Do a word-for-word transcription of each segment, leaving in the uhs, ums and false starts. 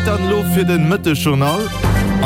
Zäit dann elo fir den Mëttegjournal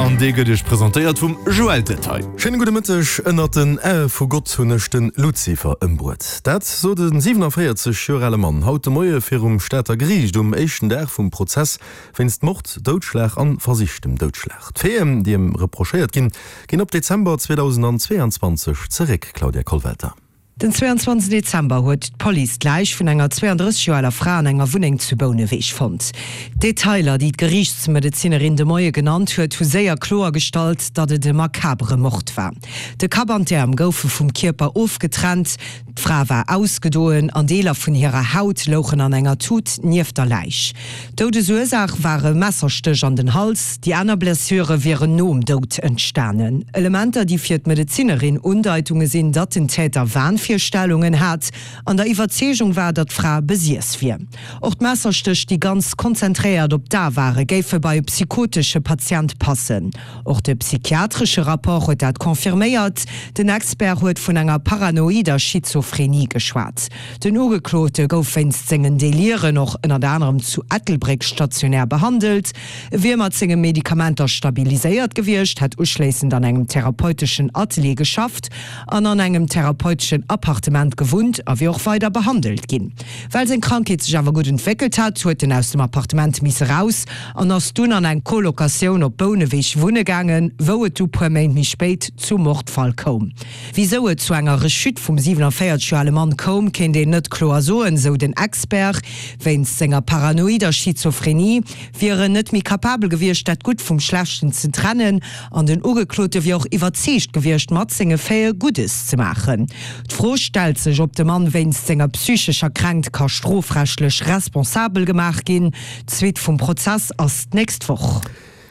an dee gëtt iech presentéiert vum Joël Detail. Schéine gudde Mëtteg. Ënnert den Ae vu Gott hunn ech de Luzifer ëmbruet. Dat sot e siwenavéierzeg Joer ale Mann haut de Moie virum Stater Geriicht um éischten Dag vum Prozess wéinst Mord, Doudschlag an versichtem Doudschlag. D'Faiten, déi em reprochéiert ginn, ginn op Dezember zweedausendzweeanzwanzeg zeréck, Claudia Kollwelter. Den zweeanzwanzeg Dezember huet d'Police d'Läich vun enger zweeandrësseg Joer aler Fra an enger Wunneng zu Bouneweg fonnt. D'Detailer, déi d'Geriichtsmedezinerin de Moie genannt huet, hu séier kloergestallt, datt et e makabere Mord war. De Kapp an d'Äerm goufe vum Kierper ofgetrennt, d'Fra war ausgedoen an Deeler vun hirer Haut louchen an enger Tut nieft der Läich. D'Doudesursaach war e Messerstéch an den Hals, déi aner Blessure wieren nom Doud entstanen. Elementer, déi fir d'Medezinerin Undeitunge sinn, datt den Täter Wahnvirstellungen hat an der Iwwerzeegung war, datt d'Fra besiess wier. Och d'Messerstéch, déi ganz konzentréiert op d'A ware, géife bei e psychotesche Patient passen. Och de psychiatresche Rapport huet dat confirméiert. Den Expert huet vun enger paranoider Schizophrenie geschwat. Den Ugeklote gouf wéinst sengen Deliren och ënnert anerem zu Ettelbréck stationär behandelt. E wier mat senge Medikamenter stabiliséiert gewiescht, hätt uschléissend an engem therapeuteschen Atelier geschafft an an engem therapeuteschen Appartement gewunnt a wier och weider behandelt ginn. Well seng Krankheet sech awer gutt entwéckelt hat, huet en aus dem Appartement misse raus an ass dunn an eng Colocatioun op Bouneweg wunne gaangen, wou et du puer Méint méi spéit zum Mordfall koum. Wisou et zu enger Rechute vum siewenanvéierzeg Joer ale Mann koum, kéint een net kloer soen, sou den Expert. Wéinst senger paranoider Schizophrenie wier en net méi kapabel gewiescht, dat Gutt vum Schlechten ze trennen an den Ugeklote wier och iwwerzeegt gewiescht, mat senge Faite Guddes ze maachen. D'Fro stellt sech, ob de Mann wéinst senger psychescher Kränkt ka strofrechtlech responsabel gemaach ginn. D'Suite vum Prozess ass d'nächst Woch.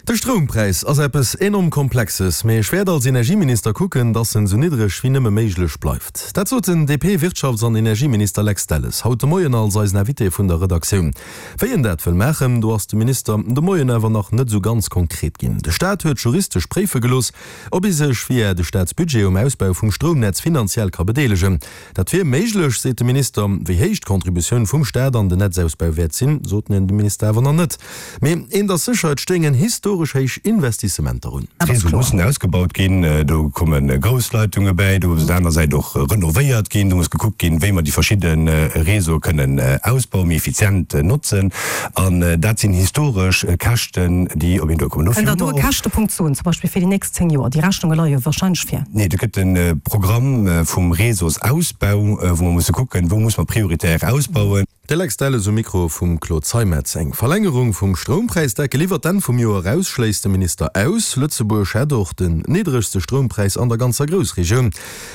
De Stroumpräis ass eppes enorm Komplexes, mee ech wäert als Energieminister kucken, dass en esou niddreg wéi nëmme méiglech bleift. Dat sot den D P-Wirtschafts an Energieminister Lex Delles haut de Moien als eisen Invité vun der Redaktioun. Wéi en dat wëll maachen, do ass de Minister de Moien awer nach net esou ganz konkret ginn. De Staat huet juristesch préife gelooss, ob ee sech via de Staatsbudget um Ausbau vum Stroumnetz finanziell ka bedeelegen. Dat wier méiglech, seet de Minister. Wéi héich d'Contributioun vum Staat an den Netzausbau wäert sinn, sot de Minister awer nach net. Mee eent ass sécher, et stéingen historesch héich Investissementer un. D'Réseaue mussen ausgebaut ginn, do komme grouss Leitunge bäi, do muss op der aner Säit och renovéiert ginn, do muss gekuckt ginn, wéi mer déi verschidde Réseaue kënnen ausbauen, méi effizient notzen. An dat sinn historesch Käschten, déi op een duerkommen. Kënnt Der do e Käschtepunkt soen, zum Beispill fir déi nächst zéng Joer? Déi Rechnunge leie jo warscheinlech vir. Nee, do gëtt e Programm vum Réseausausbau, wou mer musse kucken, wou muss mer prioritär ausbauen. De Lex Delles um Mikro vum Claude Zeimetz. Eng Verlängerung vum Stroumpräisdeckel iwwer d'Enn vum Joer eraus schléisst de Minister aus. Lëtzebuerg hätt och den niddregste Stroumpräis an der ganzer Groussregioun.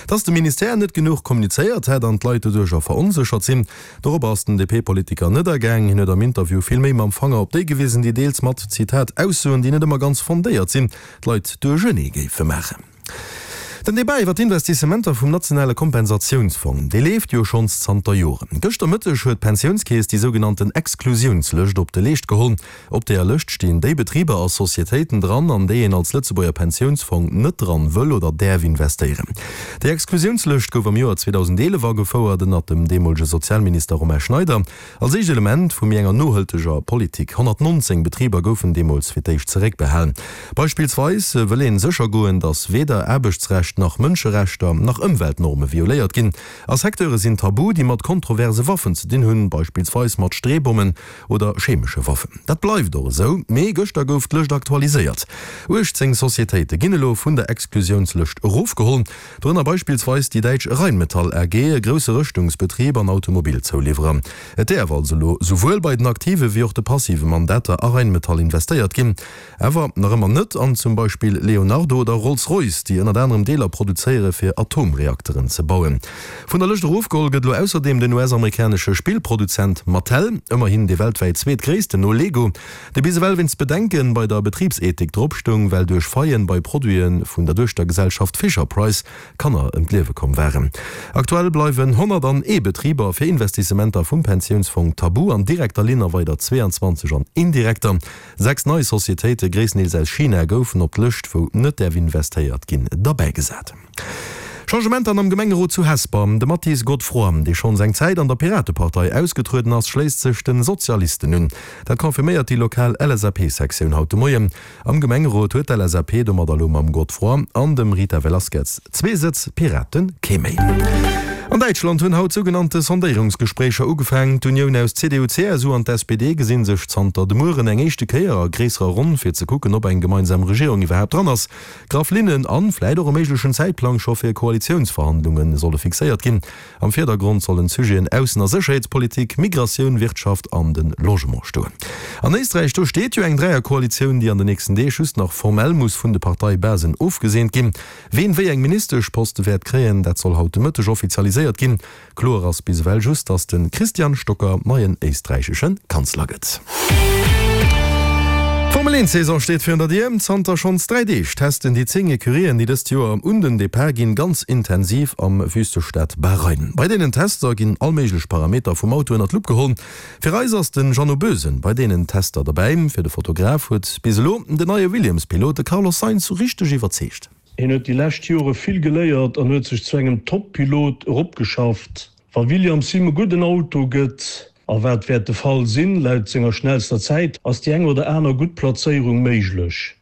Dass de Ministère net genuch kommunizéiert hätt an d'Leit doduercher veronséchert sinn, dorobber ass den D P-Politiker net agaang. Hien huet am Interview vill méi mam Fanger op déi gewisen, déi deels mat, Zitat, Aussoen, déi net ëmmer ganz fondéiert sinn, d'Leit duerchenee géife maachen. Den Debat iwwer d'Investissementer vum nationale Kompensatiounsfong, dee leeft jo schonns zanter Joren. Gëschter Mëtteg huet d'Pensiounskeess déi sougenannten Exklusiounslëscht op de Leescht geholl. Op deeër Lëscht stinn déi Betriber a Societéiten dran, an déi een als Lëtzebuerger Pensiounsfong net dran wëll oder däerf investéieren. Déi Exklusiounslëscht gouf am Joer zweedausendeelef agefouert, ënnert dem deemolege Sozialminister Romain Schneider, als éischt Element vu méi enger nohalteger Politik. honnertnonzéng Betriber goufen deemools fir d'éischt zeréckbehalen. Beispillsweis wëll een sécher goen, datt weder Aarbechtsrecht nach Mënscherechter nach Ëmweltnorme violéiert ginn. A Secteure sinn tabu, déi mat kontroverse Waffen ze dinn hunn, beispillsweis mat Streebommen oder chemesche Waffen. Dat bleift och esou, mee gëschter gouf d'Lëscht aktualiséiert. uechtzéng Societéite ginn elo vun der Exklusiounslëscht erofgeholl, dorënner beispillsweis déi däitsch Rheinmetall A G, e grousse Rëschtungsbetrib an Automobilzouliwwerer. Et däerf also elo souwuel bei den aktive wéi och de passive Mandater a Rheinmetall investéiert ginn. Awer nach ëmmer net an zum Beispill Leonardo oder Rolls-Royce, déi ënnert anerem Deeler produzéiere fir Atomreakteren ze bauen. Vun der Lëscht erofgeholl gëtt elo ausserdeem den U S-amerikanesche Spillproduzent Mattel, ëmmerhin dee weltwäit zweetgréissten no Lego, dee bis ewell wéinst Bedenke bei der Betribsethik drop stoung, well duerch Faillen bei Produite vun der Duechtergesellschaft Fisher-Price Kanner ëm d'Liewe komm waren. Aktuell bleiwen honnertanee Betriber fir Investissementer vum Pensiounsfong tabu, an direkter Linn a weider zweeanzwanzeg an indirekter. Sechs nei Societéite, gréisstendeels aus China, goufen op d'Lëscht, wou net däerf investéiert ginn, derbäigesat. Changementer am Gemengerot zu Hesper, De Mathis Godefroid, dee schonns eng Zäit an der Piratepartei ausgetrueden ass, schléisst sech de Sozialisten un. Dat confirméiert déi lokal L S A P-Sektioun haut de Moien. Am Gemengerot huet d'L S A P domadder elo mam Godefroid an dem Rita Velasquez zwee Sëtz, Piraten kee méi. An Däitschland hunn haut sougenannte Sondéierungsgespréicher ugefaangen. D'Unioun aus C D U, C S U an d'S P D gesinn sech zanter de Mueren eng éischte Kéier a gréisserer Ronn, fir ze kucken, ob eng gemeinsam Regierung iwwerhaapt dran ass. Graff Linnen an vläit och e méiglechen Zäitplang scho fir Koalitiounsverhandlunge solle fixéiert ginn. Am Virdergrond sollen d'Sujeten Aussen a Sécherheetspolitik, Migratioun, Wirtschaft an de Logement stoen. An Éisträich, do steet jo eng Dräierkoalitioun, déi an den nächsten Deeg just nach formell muss vun de Parteibasen ofgeseent ginn. Ween wéi eng Ministeschposte wäert kréien, dat soll haut de Mëtteg offizialiséiert ginn. Kloer ass bis ewell just, datt de Christian Stocker neien éisträichesche Kanzler gëtt. D'Formel eent Saison steet virun der Dier. Zanter schonns dräi Deeg testen déi zéng Ecurien, déi dëst Joer un den Depart ginn, ganz intensiv am Wüstestad Bahrain. Bei deenen Tester ginn all méiglech Parameter vum Auto ënner d'Lupp geholl. Fir eis ass de Jeannot Boesen bei deenen Tester derbäi. Fir de Fotograf huet bis elo den neie Williams-Pilot, de Carlos Sainz, richteg iwwerzeegt. Hien huet déi lescht Jore vill geléiert an huet sech zu engem Top-Pilot eropgeschafft. Wa Williams him e gudden Auto gëtt, a wat wäert de Fall sinn, laut senger schnellster Zäit, ass déi eng oder aner gutt Plazéierung méiglech.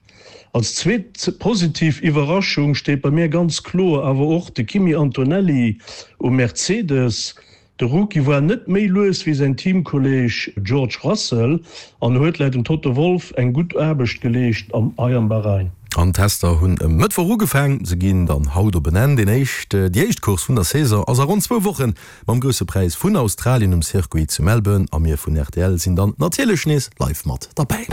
Als zweet positiv Iwwerraschung steet bei mir ganz kloer awer och de Kimi Antonelli um Mercedes. De Rookie war net méi lues wéi säin Teamkolleeg George Russell an huet laut dem Toto Wolff eng gutt Aarbecht geleescht am hei am Bahrain. An d'Tester hunn e Mëttwoch ugefaang, se ginn dann haut op en Enn. Deen éischt, déi éischt Course vun der Saison ass a ronn zwou Wochen mam Grousse Präis vun Australien um Circuit zu Melbourne a mir vun R T L sinn dann natierlech nees live mat derbäi.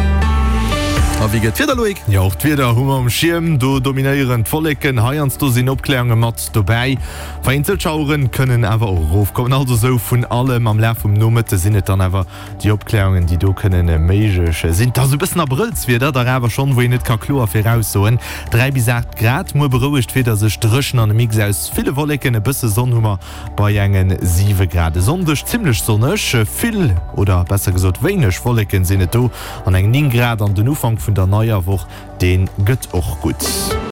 A wéi gëtt d'Wieder, Loïc? Jo, och d'Wieder hu mer um Schierm. Do dominéieren d'Wolleken, heiansdo sinn Opkläerunge mat dobäi. Vereenzelt Schauere kënnen awer och erofkommen. Also sou vun allem. Am Laf vum Nomëtte sinn et dann awer déi Opkläerungen, déi do kënnen méiglech sinn. Et ass e bëssen Abrëllswieder, dach awer schonn, wou een net ka kloer viraussoen. Dräi bis aacht Grad. Muer berouegt d'Wieder sech, dréchen an e Mix aus ville Wolleken, e bësse Sonn hu mer bei enge siwe Grad. E Sonndeg zimmlech sonneg, vill oder besser gesot wéineg Wolleken sinn et do an eng néng Grad. An den Ufank vun der neier Woch, dee gëtt och gutt.